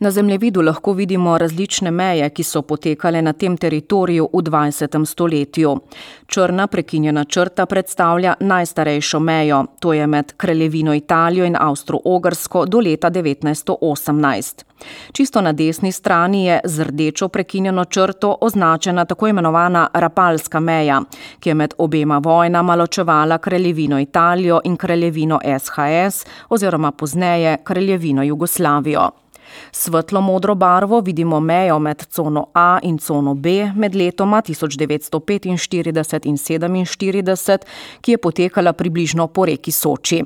Na zemljevidu lahko vidimo različne meje, ki so potekale na tem teritoriju v 20. stoletju. Črna prekinjena črta predstavlja najstarejšo mejo, to je med Kraljevino Italijo in Avstro-Ogrsko do leta 1918. Čisto na desni strani je z rdečo prekinjeno črto označena tako imenovana Rapalska meja, ki je med obema vojnama ločevala Kraljevino Italijo in Kraljevino SHS oziroma pozneje Kraljevino Jugoslavijo. Svetlo modro barvo vidimo mejo med cono A in cono B med letoma 1945 in 1947, ki je potekala približno po reki Soči.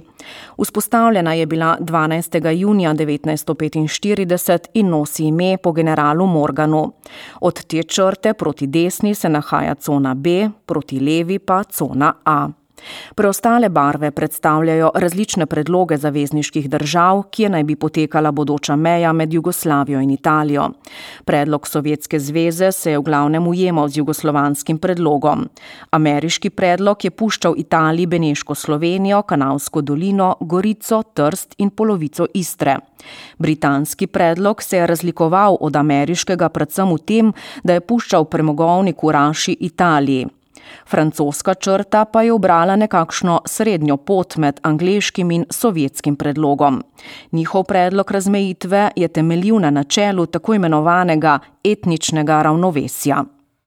Vzpostavljena je bila 12. junija 1945 in nosi ime po generalu Morganu. Od te črte proti desni se nahaja cona B, proti levi pa cona A. Preostale barve predstavljajo različne predloge zavezniških držav, kje naj bi potekala bodoča meja med Jugoslavijo in Italijo. Predlog Sovjetske zveze se je v glavnem ujemal z jugoslovanskim predlogom. Ameriški predlog je puščal Italiji Beneško Slovenijo, Kanalsko dolino, Gorico, Trst in polovico Istre. Britanski predlog se je razlikoval od ameriškega predvsem v tem, da je puščal premogovnik v Raši Italiji. Francoska črta pa je ubrala nekakšno srednjo pot med angleškim in sovjetskim predlogom. Njihov predlog razmejitve je temeljil na načelu tako imenovanega etničnega ravnovesja.